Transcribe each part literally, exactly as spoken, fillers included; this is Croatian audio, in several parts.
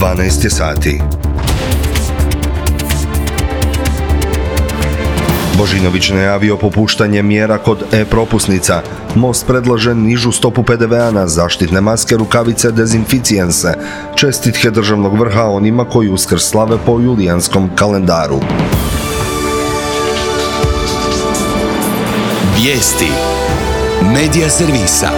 dvanaest je sati. Božinović najavio popuštanje mjera kod e-propusnica. Most predlaže nižu stopu pe de ve a na zaštitne maske, rukavice, dezinficijense. Čestitke državnog vrha onima koji Uskrs slave po julijanskom kalendaru. Vijesti Medija servisa.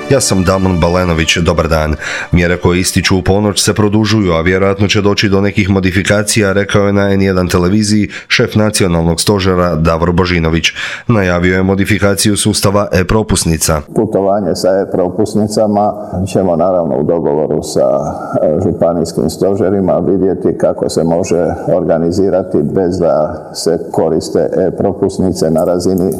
Ja sam Damon Balenović, dobar dan. Mjere koje ističu u ponoć se produžuju, a vjerojatno će doći do nekih modifikacija, rekao je na en jedan televiziji šef nacionalnog stožera Davor Božinović. Najavio je modifikaciju sustava e-propusnica. Putovanje sa e-propusnicama ćemo naravno u dogovoru sa županijskim stožerima vidjeti kako se može organizirati bez da se koriste e-propusnice na razini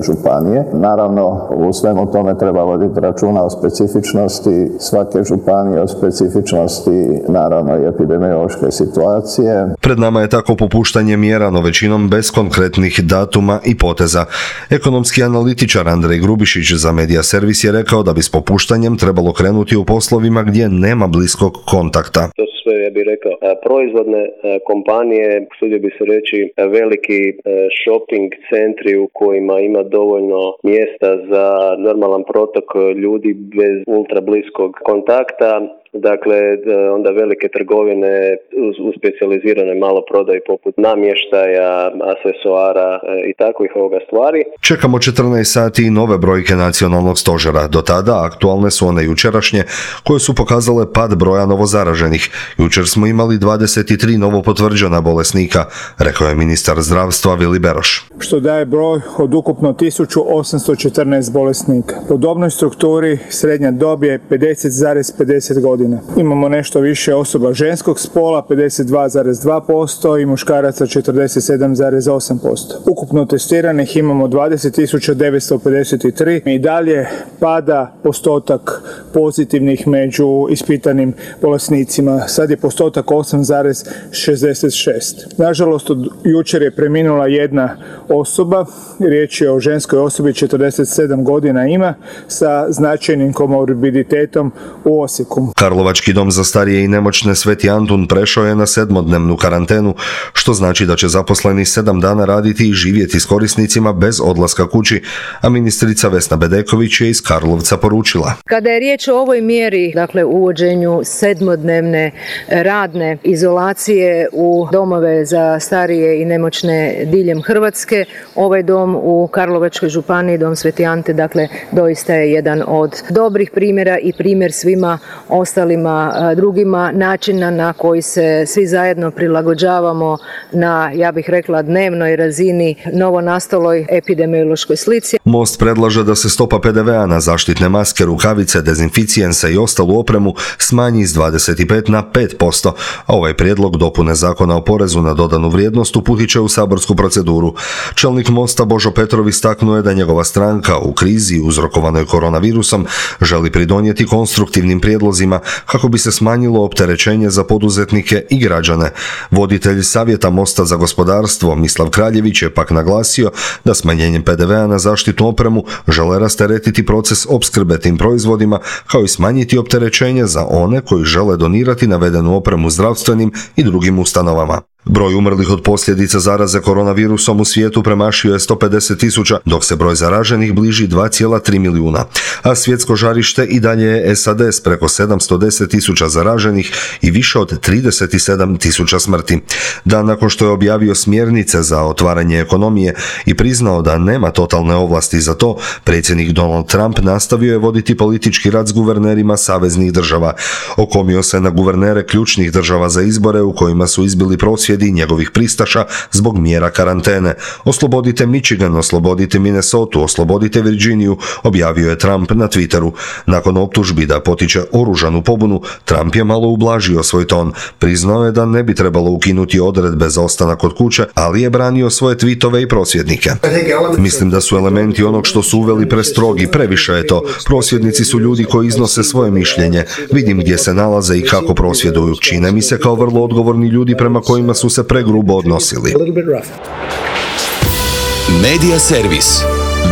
županije. Naravno, u svemu tome treba voditi računa o specifičnosti svake županije, o specifičnosti naravno i epidemiološke situacije. Pred nama je tako popuštanje mjera, no većinom bez konkretnih datuma i poteza. Ekonomski analitičar Andrej Grubišić za Medija servis je rekao da bi s popuštanjem trebalo krenuti u poslovima gdje nema bliskog kontakta. To su sve, ja bih rekao, proizvodne kompanije, sudio bi se reći veliki shopping centri u kojima ima dovoljno mjesta za normalan protok ljudi bez ultra bliskog kontakta. Dakle, onda velike trgovine u specijaliziranoj maloprodaji poput namještaja, aksesuara i takvih ovoga stvari. Čekamo četrnaest sati i nove brojke nacionalnog stožera. Do tada aktualne su one jučerašnje koje su pokazale pad broja novozaraženih. Jučer smo imali dvadeset tri novopotvrđena bolesnika, rekao je ministar zdravstva Vili Beroš. Što daje broj od ukupno tisuću osamsto četrnaest bolesnika. Po dobnoj strukturi srednja dob je pedeset zarez pedeset godina. Imamo nešto više osoba ženskog spola, pedeset dva zarez dva posto i muškaraca četrdeset sedam zarez osam posto. Ukupno testiranih imamo dvadeset tisuća devetsto pedeset tri i dalje pada postotak pozitivnih među ispitanim bolesnicima. Sad je postotak osam zarez šezdeset šest. Nažalost, od jučer je preminula jedna osoba, riječ je o ženskoj osobi, četrdeset sedam godina ima, sa značajnim komorbiditetom u Osijeku. Karlovački dom za starije i nemoćne Sveti Antun prešao je na sedmodnevnu karantenu, što znači da će zaposleni sedam dana raditi i živjeti s korisnicima bez odlaska kući, a ministrica Vesna Bedeković je iz Karlovca poručila. Kada je riječ o ovoj mjeri, dakle uvođenju sedmodnevne radne izolacije u domove za starije i nemoćne diljem Hrvatske, ovaj dom u Karlovačkoj županiji, dom Sveti Ante, dakle doista je jedan od dobrih primjera i primjer svima ostalima drugima načina na koji se svi zajedno prilagođavamo na, ja bih rekla, dnevnoj razini novonastaloj epidemiološkoj slici. Most predlaže da se stopa pe de ve a na zaštitne maske, rukavice, dezinficijense i ostalu opremu smanji s dvadeset pet na pet posto, a ovaj prijedlog dopune Zakona o porezu na dodanu vrijednost uputit će u saborsku proceduru. Čelnik Mosta Božo Petrov istaknuo je da njegova stranka u krizi uzrokovanoj koronavirusom želi pridonijeti konstruktivnim prijedlozima kako bi se smanjilo opterećenje za poduzetnike i građane. Voditelj Savjeta Mosta za gospodarstvo Mislav Kraljević je pak naglasio da smanjenjem pe de ve a na zaštitnu opremu žele rasteretiti proces opskrbe tim proizvodima, kao i smanjiti opterećenje za one koji žele donirati navedenu opremu zdravstvenim i drugim ustanovama. Broj umrlih od posljedica zaraze koronavirusom u svijetu premašio je sto pedeset tisuća, dok se broj zaraženih bliži dva zarez tri milijuna, a svjetsko žarište i dalje je es a de s preko sedamsto deset tisuća zaraženih i više od trideset sedam tisuća smrti. Dan nakon što je objavio smjernice za otvaranje ekonomije i priznao da nema totalne ovlasti za to, predsjednik Donald Trump nastavio je voditi politički rat s guvernerima saveznih država. Okomio se na guvernere ključnih država za izbore u kojima su izbili prosvjedi njegovih pristaša zbog mjera karantene. Oslobodite Michigan, oslobodite Minnesota, oslobodite Virginiju, objavio je Trump na Twitteru. Nakon optužbi da potiče oružanu pobunu, Trump je malo ublažio svoj ton. Priznao je da ne bi trebalo ukinuti odredbe za ostanak kod kuće, ali je branio svoje tweetove i prosvjednike. Mislim da su elementi onog što su uveli prestrogi, previše je to. Prosvjednici su ljudi koji iznose svoje mišljenje. Vidim gdje se nalaze i kako prosvjeduju. Čine mi se kao vrlo odgovorni ljudi prema kojima su se pregrubo odnosili. Medija servis.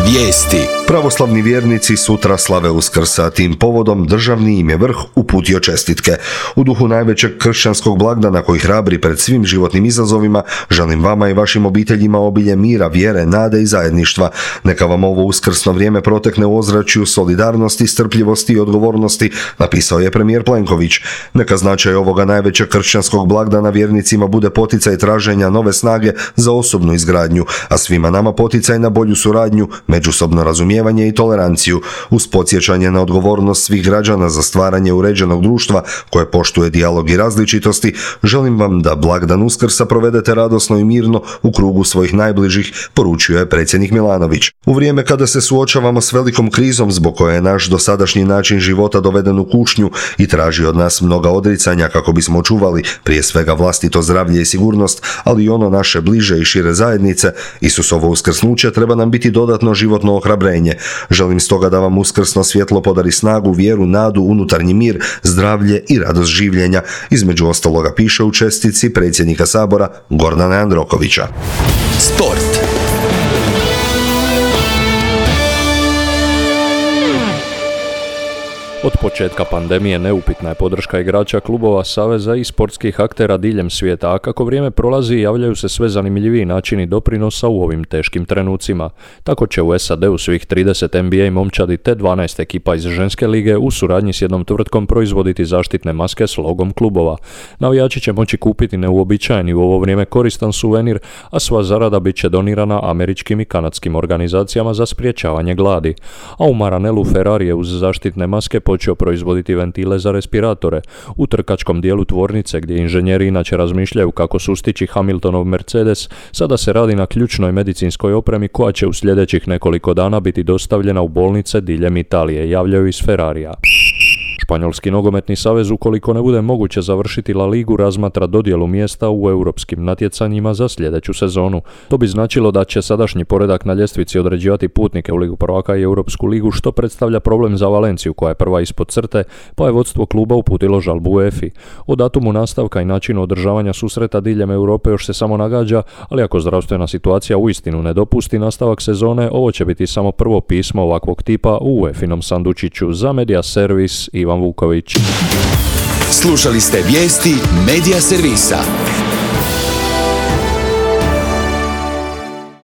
Vijesti. Pravoslavni vjernici sutra slave Uskrsa, tim povodom državni im je vrh uputio čestitke. U duhu najvećeg kršćanskog blagdana koji hrabri pred svim životnim izazovima, želim vama i vašim obiteljima obilje mira, vjere, nade i zajedništva. Neka vam ovo uskrsno vrijeme protekne u ozračju solidarnosti, strpljivosti i odgovornosti, napisao je premijer Plenković. Neka značaj ovoga najvećeg kršćanskog blagdana vjernicima bude poticaj traženja nove snage za osobnu izgradnju, a svima nama poticaj na bolju suradnju, međusobno razumijevanje i toleranciju, uz podsjećanje na odgovornost svih građana za stvaranje uređenog društva koje poštuje dijalog i različitosti. Želim vam da blagdan Uskrsa provedete radosno i mirno u krugu svojih najbližih, poručio je predsjednik Milanović. U vrijeme kada se suočavamo s velikom krizom zbog koje je naš dosadašnji način života doveden u kušnju i traži od nas mnoga odricanja kako bismo očuvali prije svega vlastito zdravlje i sigurnost, ali i ono naše bliže i šire zajednice, Isusovo uskrsnuće treba nam biti dodatno životno ohrabrenje. Želim stoga da vam uskrsno svjetlo podari snagu, vjeru, nadu, unutarnji mir, zdravlje i radost življenja. Između ostaloga piše u čestitci predsjednika Sabora Gordana Jandrokovića. Sport. Od početka pandemije neupitna je podrška igrača, klubova, saveza i sportskih aktera diljem svijeta, a kako vrijeme prolazi javljaju se sve zanimljiviji načini doprinosa u ovim teškim trenucima. Tako će u S A D-u svih trideset N B A momčadi te dvanaest ekipa iz ženske lige u suradnji s jednom tvrtkom proizvoditi zaštitne maske s logom klubova. Navijači će moći kupiti neuobičajeni u ovo vrijeme koristan suvenir, a sva zarada bit će donirana američkim i kanadskim organizacijama za sprječavanje gladi. A u Maranelu Ferrari je uz zaštitne maske počeo proizvoditi ventile za respiratore. U trkačkom dijelu tvornice, gdje inženjeri inače razmišljaju kako sustići Hamiltonov Mercedes, sada se radi na ključnoj medicinskoj opremi koja će u sljedećih nekoliko dana biti dostavljena u bolnice diljem Italije, javljaju iz Ferrarija. Španjolski nogometni savez, ukoliko ne bude moguće završiti La Ligu, razmatra dodjelu mjesta u europskim natjecanjima za sljedeću sezonu. To bi značilo da će sadašnji poredak na ljestvici određivati putnike u Ligu prvaka i Europsku ligu, što predstavlja problem za Valenciju, koja je prva ispod crte, pa je vodstvo kluba uputilo žalbu UEFA-i. O datumu nastavka i načinu održavanja susreta diljem Europe još se samo nagađa, ali ako zdravstvena situacija uistinu ne dopusti nastavak sezone, ovo će biti samo prvo pismo ovakvog tipa u UEFA-inom sandučiću. Za Media Servis, Ivan Vuković. Slušali ste vijesti Media Servisa.